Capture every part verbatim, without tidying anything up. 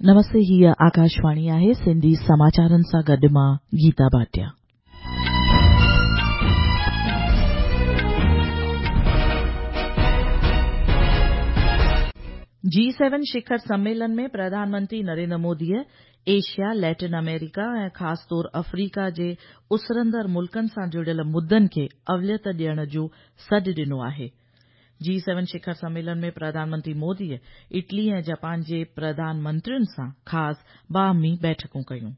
नमस्ते, हीअ आकाशवाणी आहे। सिंधी समाचारनि सां गॾु मां गीता भाटिया। जी सेवन शिखर सम्मेलन में प्रधानमंत्री नरेंद्र मोदीअ एशिया, लैटिन अमेरिका ऐं ख़ासि तौर अफ्रीका जे उसरंदड़ मुल्कनि सां जुड़ियल मुद्दनि खे अवलियत ॾियण जो सॾु ॾिनो आहे। जी सेवन शिखर सम्मेलन में प्रधानमंत्री मोदीअ इटली ऐं जापान जे प्रधानमंत्रियुनि सां ख़ासि बाहमी बैठकूं कयूं।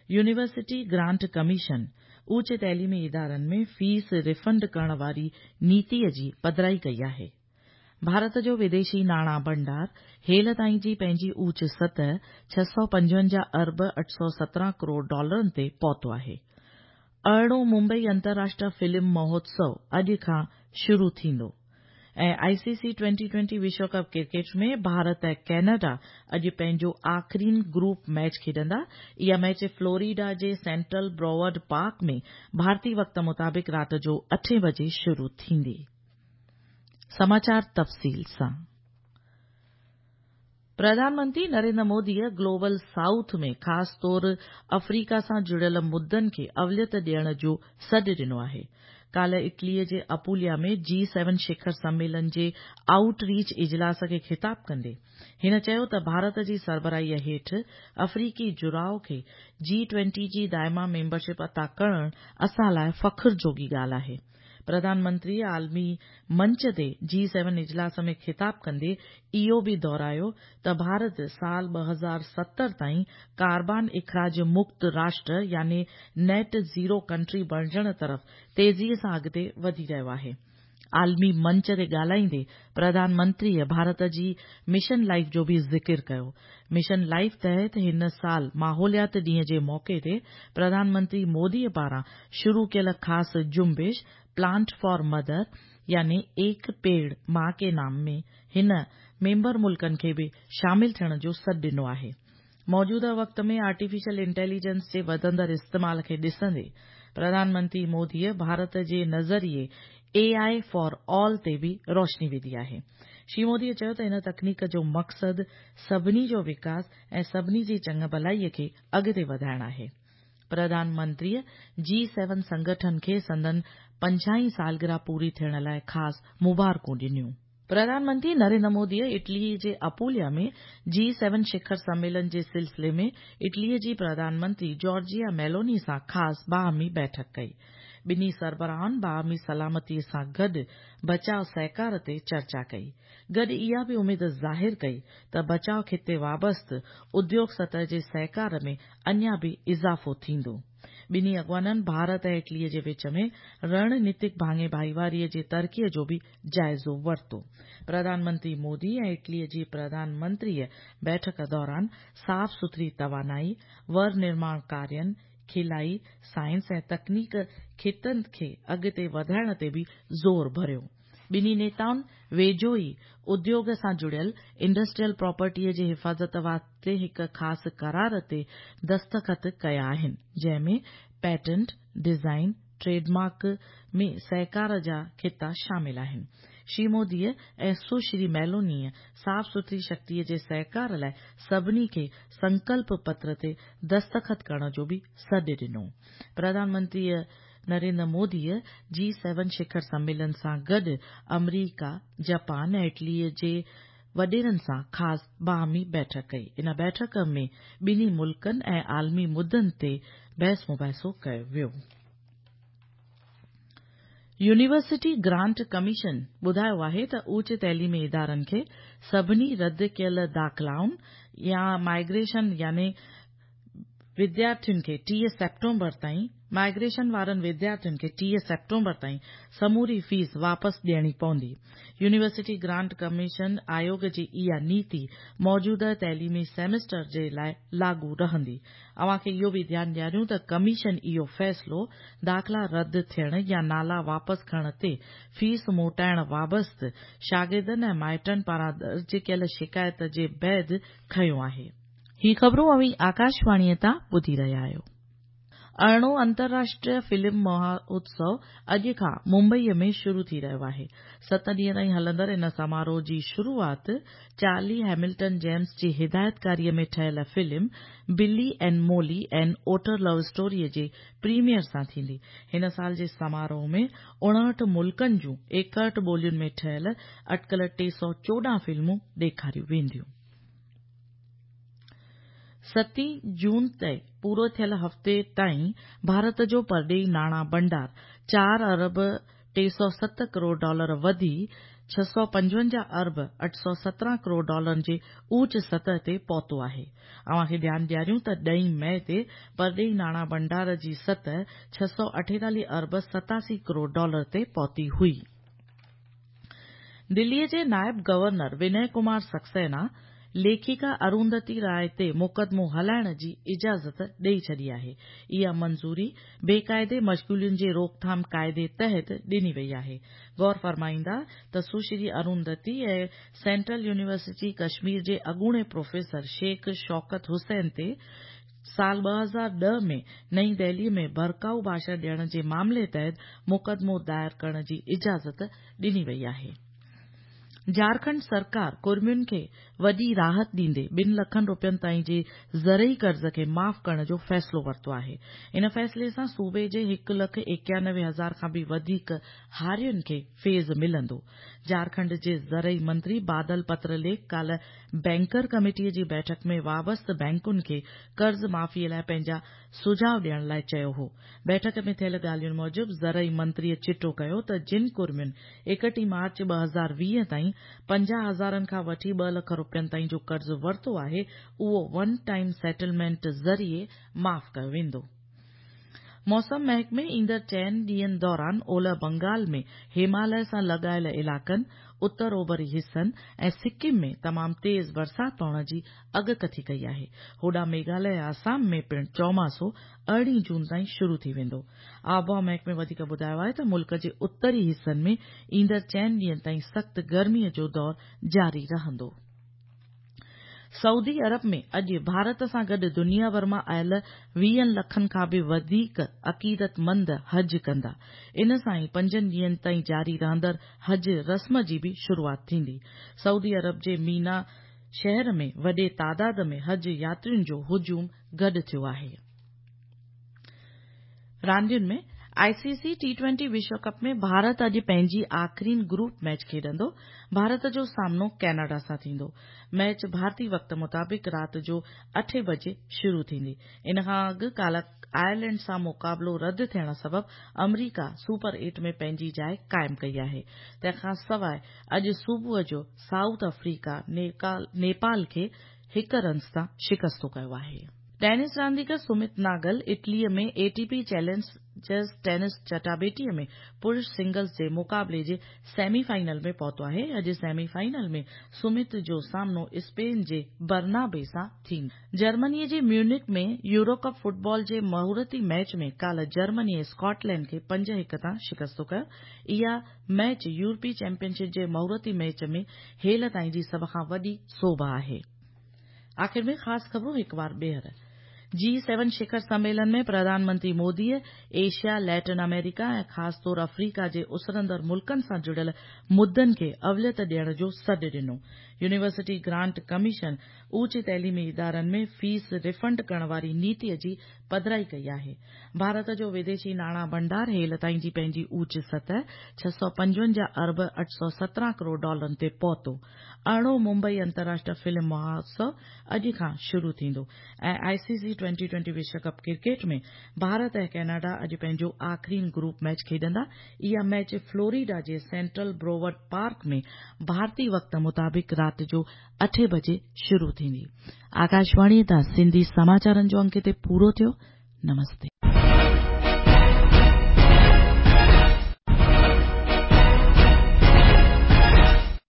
यूनिवर्सिटी ग्रांट कमीशन ऊच तइलीमी इदारनि में फीस रिफंड करण वारी नीतीअ जी पधराई कई आहे। भारत जो विदेशी नाणा भंडार हेल ताईं जी पंहिंजी ऊच सतह छह सौ पंजवंजाह अरब अठ सौ सतरहं करोड़ डॉलरनि ते पहुतो आहे। अरिड़हों मुंबई अंतर्राष्ट्रीय फिल्म महोत्सव अॼु खां शुरू थींदो ऐं आईसीसी ट्वेंटी ट्वेंटी विश्व कप क्रिकेट में भारत ऐं कनाडा अॼु पंहिंजो आख़िरीन ग्रुप मैच खेॾंदा। इहा मैच फ्लोरिडा जे सेंट्रल ब्रॉवर्ड पार्क में भारतीय वक़्त मुताबिक़ राति जो अठें बजे शुरू थींदी। समाचार तफ़सील सां। प्रधानमंत्री नरेंद्र मोदीअ ग्लोबल साउथ में ख़ासि तौर अफ्रीका सां जुड़ियल मुद्दनि खे अवलियत ॾियण जो सॾु ॾिनो आहे। काल्ह इटलीअ जे अपुलिया में जी सेवन शिखर सम्मेलन जे आउटरीच इजलास खे ख़िताब कंदे हिन चयो त भारत जी सरबराहीअ हेठि अफ्रीकी जुड़ाव खे जी ट्वेंटी जी दाइमा मेंबरशिप अता करण असां लाइ फ़ख़्र जोॻी ॻाल्हि आहे। प्रधानमंत्री आलमी मंच ते जी सेवन इजलास में ख़िताब कंदे इहो बि दोहरायो त भारत साल ॿ हज़ार सतरि ताईं कार्बन इख़राज मुक्त राष्ट्र यानी नेट ज़ीरो कंट्री बणिजण तरफ़ तेज़ीअ सां अॻिते वधी रहियो आहे। आलमी मंच ते ॻाल्हाईंदे प्रधानमंत्रीअ भारत जी मिशन लाइफ जो बि ज़िक्र कयो। मिशन लाइफ तहत हिन साल माहौलियात ॾींहं जे मौक़े ते प्रधानमंत्री मोदीअ पारां शुरू कयल ख़ासि जुंबिश प्लांट फॉर मदर यानी एक पेड़ मां के नाम में हिन मेंबर मुल्कनि खे बि शामिल थियण जो सॾु ॾिनो आहे। मौजूदा वक़्त में आर्टिफिशियल इंटेलिजेंस जे वधंदड़ इस्तेमाल खे ॾिसंदे प्रधानमंत्री मोदीअ भारत जे नज़रिए ए I for all ते बि रोशनी विधी आहे। श्री मोदीअ चयो त हिन तकनीक जो मक़सदु सभिनी जो विकास ऐं सभिनी जी चङु भलाईअ खे अॻिते वधाइण आहे। प्रधानमंत्रीअ जी सेवन संगठन खे संदन पंजाहीं सालगिरह पूरी थियण लाइ ख़ासि मुबारकूं ॾिनियूं। प्रधानमंत्री नरेंद्र मोदीअ इटली जे अपुलिया में जी सेवन शिखर सम्मेलन जे सिलसिले में इटलीअ जी प्रधानमंत्री जॉर्जिया मेलोनी सां ख़ासि बाहमी बैठक कई। ॿिन्ही सरबराहनि बाहमी सलामतीअ सां गॾु बचाव सहकार ते चर्चा कई। गॾु इहा बि उमेद ज़ाहिर कई त बचाव खिते वाबस्ते उद्योग सतह जे सहकार में अञा बि इज़ाफ़ो थींदो। ॿिन्ही अॻवाननि भारत ऐं इटलीअ जे विच में रणनीतिक भाङे भाईवारीअ जे तरक़ीअ जो बि जाइज़ो वरितो। प्रधानमंत्री मोदी ऐं इटलीअ जी प्रधानमंत्रीअ बैठक दौरान साफ़ सुथरी तवानाई, वर निर्माण कार्यनि, खिलाई, साइंस ऐं तकनीक खितनि खे अॻिते वधाइण ते बि ज़ोर भरियो। ॿिन्ही नेताउनि वेझो ई उद्योग सां जुड़ियल इंडस्ट्रियल प्रॉपर्टीअ जी हिफ़ाज़त वास्ते हिकु ख़ासि करार ते दस्तख़त कया आहिनि, जंहिं में पेटेंट, डिज़ाइन, ट्रेडमार्क में सहकार जा खिता शामिल आहिनि। श्री मोदीअ ऐं सुश्री मेलोनीअ साफ़ सुथरी शक्तीअ जे सहकार लाइ सभिनी खे संकल्प पत्र ते दस्तख़त करण जो बि सॾु ॾिनो। प्रधानमंत्रीअ नरेंद्र मोदीअ जी सेवन शिखर सम्मेलन सां गॾु अमरीका, जापान ऐं इटलीअ जे वॾेरनि सां ख़ासि बाहमी बैठक कई। इन बैठक में ॿिन्ही मुल्कनि ऐं आलमी मुद्दनि ते बहस मुबाहिसो कयो वियो। यूनिवर्सिटी ग्रांट कमीशन ॿुधायो आहे त ऊच तइलीमी इदारनि खे सभिनी रद्द कयल दाख़िलाउनि या माइग्रेशन यानी विद्यार्थियुनि खे टीह सेप्टेम्बर ताईं माइग्रेशन वारनि विद्यार्थियुनि खे टीह सेप्टेम्बर ताईं समूरी फीस वापसि ॾियणी पवंदी। यूनिवर्सिटी ग्रांट कमीशन आयोग जी इहा नीति मौजूदा तइलीमी सेमेस्टर जे लाइ लागू रहंदी। अव्हां खे इहो बि ध्यानु ॾियारियूं त कमीशन इहो फ़ैसिलो दाख़िला रद्द थियण या नाला वापसि खणण ते फीस मोटाइण वाबस्ते शागिर्दनि ऐं माइटनि पारां दर्ज कयल शिकायत जे बाद खयो आहे। ही ख़बरूं अव्हीं आकाशवाणीअ तां ॿुधी रहिया आहियो। ارڙهون انترراشٽريه فلم مهوتسو اڄ کان ممبئيء ۾ شروع ٿي رهيو آهي. ست ڏينهن تائين هلندڙ ان سماروهه جي شروعات چارلي هيملٽن جيمس جي هدايتڪاريء ۾ ٺهيل film Billy and Molly an otter love story جي پريميئر سان ٿيندي. هن سال جي سماروهه ۾ اڻهٺ ملڪن جون ايڪهٺ ٻولين ۾ ٺهيل اٽڪل ٽي سؤ چوڏهن فلمون ڏيکاريون وينديون. ستين جون تي پورو ٿيل هفتي تائين ڀارت جو پرڏيهي ناڻا ڀنڊار چار ارب ٽي سؤ ست ڪروڙ ڊالر وڌي ڇهه سؤ پنجونجاهه ارب اٺ سؤ سترهن ڪروڙ ڊالرن جي اوچ سطح تي پهتو آهي. اوهان کي ڌيان ڏياريون ته ڏهين مئي تي پرڏيهي ناڻا ڀنڊار جي سطح ڇهه سؤ اٺيتاليهه ارب ستاسي ڪروڙ ڊالر تي پهتي هئي. دليء جي نائب گورنر ونئي ڪمار سڪسينا ليکڪا ارونڌتي راءِ تي مقدمو هلائڻ جي اجازت ڏئي ڇڏي آهي. اها منظوري بيقاعدي مشغولين جي روڪٿام قاعدي تحت ڏني وئي آهي. غور فرمائيندا ته سشري ارونڌتي ۽ سينٽرل يونيورسٽي ڪشمير جي اڳوڻي پروفيسر شيخ شوڪت حسين تي سال ٻه هزار ڏهه ۾ نئين دهلي ۾ ڀڙڪائو ڀاشڻ ڏيڻ جي معاملي تحت مقدمو دائر ڪرڻ جي اجازت ڏني وئي آهي. جهارکنڊ سرڪار ڪڙمين کي وڏي راحت ڏيندي ٻن لکن روپين تائين جي زرعي قرض کي معاف ڪرڻ جو فيصلو ورتو آهي. ان فيصلي سان صوبي جي هڪ لک ايڪانوي هزار کان به وڌيڪ هارين کي فيض ملندو. جهارکنڊ جي زرعي منتري بادل پترليک ڪالهه بينڪر ڪميٽي جي بيٺڪ ۾ وابسته بينڪن کي قرض معافي لاء پنهنجا سجهاء ڏيڻ لاء چيو هو. بيٺڪ ۾ ٿيل ڳالهين موجب زرعي منتريء چٽو ڪيو ته جن ڪڙمين ايڪٽيهه مارچ ٻه هزار ويهه تائين پنجاهه هزارن کان وٺي ٻه لک روپين تائين جو قرض ورتو آهي اهو ون ٽائيم سيٽلمينٽ ذريعي معاف ڪيو ويندو. موسم محڪمي ايندڙ چئن ڏينهن دوران اولهه بنگال ۾ هماليه سان لڳايل علائقن، اتر اوڀري حصن ۽ سڪم ۾ تمام تيز برسات پوڻ جي اڳڪٿي ڪئي آهي. هوڏانهن ميگهاليه ۽ آسام ۾ پڻ چوماسو ارڙهين جون تائين شروع ٿي ويندو. آبهوا محڪمي وڌيڪ ٻڌايو آهي ته ملڪ جي اتري حصن ۾ ايندڙ چئن ڏينهن تائين سخت گرميء جو دور جاري رهندو. سعودي عرب ۾ اڄ ڀارت سان گڏ دنيا ڀر مان آيل ويهن لکن کان به وڌيڪ عقيدتمند حج ڪندا. ان سان ئي پنجن ڏينهن تائين جاري رهندڙ حج رسم جي به شروعات ٿيندي. سعودي عرب جي مينا شهر ۾ وڏي تعداد ۾ حج ياترين جو هجوم گڏ ٿيو آهي. راندين ۾ I C C T twenty وشو ڪپ ۾ ڀارت اڄ پنهنجي آخرين گروپ ميچ کيڏندو. ڀارت جو سامنو ڪينيڊا سان ٿيندو. ميچ ڀارتي وقت مطابق رات جو اٺين بجي شروع ٿيندي. ان کان اڳ ڪالهه آئرلينڊ سان مقابلو رد ٿيڻ سبب آمريڪا سپر ايٽ ۾ پنهنجي جاءِ قائم ڪئي آهي. تنهن کان سواءِ اڄ صبح جو سائوٿ آفريڪا نيپال کي هڪ رنس تان شڪستو ڪيو آهي. ٽينس رانديگر سمت ناگل اٽليء ۾ A T P challengers tense چٽاڀيٽيء ۾ پرش سنگلز جي مقابلي جي سيمي فائنل ۾ پهتو آهي. اڄ سيمي فائنل ۾ سمت جو سامنو اسپين جي برنابي سان ٿيندو. جرمنيء جي ميونڪ ۾ يورو ڪپ فٽبال جي مهورتي ميچ ۾ ڪالهه جرمنيء اسڪاٽلينڊ کي پنج هڪ تان شڪستو ڪيو. اها ميچ يورپي چيمپيئن شپ جي مهورتي ميچ ۾ هيل تائين جي سڀ کان وڏي سوڀ آهي. آخر ۾ خاص خبرون هڪ بار ٻيهر. جي سيون شکر سميلن ۾ Pradhan Mantri موديء Asia, Latin America ۽ خاص طور آفريڪا جي اسرندڙ ملڪن سان جڙيل مدن کي اوليت ڏيڻ جو سڏ ڏنو. يونيورسٽي گرانٽ ڪميشن اوچ تعليمي ادارن ۾ فيس ريفنڊ ڪرڻ واري نيتيء جي پڌرائي ڪئي آهي. ڀارت جو وديشي ناڻا ڀنڊار هيل تائين جي پنهنجي اوچ سطح ڇهه سؤ پنجونجاهه ارب اٺ سؤ سترهن ڪروڙ ڊالرن تي پهتو. ارڙهون ممبئي انترراشٽريه فلم مهوتسو اڄ کان شروع ٿيندو ۽ I C C twenty twenty Vishu cup cricket ۾ Bharat ۽ Canada اڄ پنهنجو آخرين گروپ ميچ کيڏندا. اها ميچ فلوريڊا جي سينٽرل بروورڊ پارڪ ۾ ڀارتي وقت مطابق رات جو اٺين بجي شروع ٿيندي. آڪاشواڻيء تان سنڌي سماچارن جو انڪ هتي پورو ٿيو. نمستي.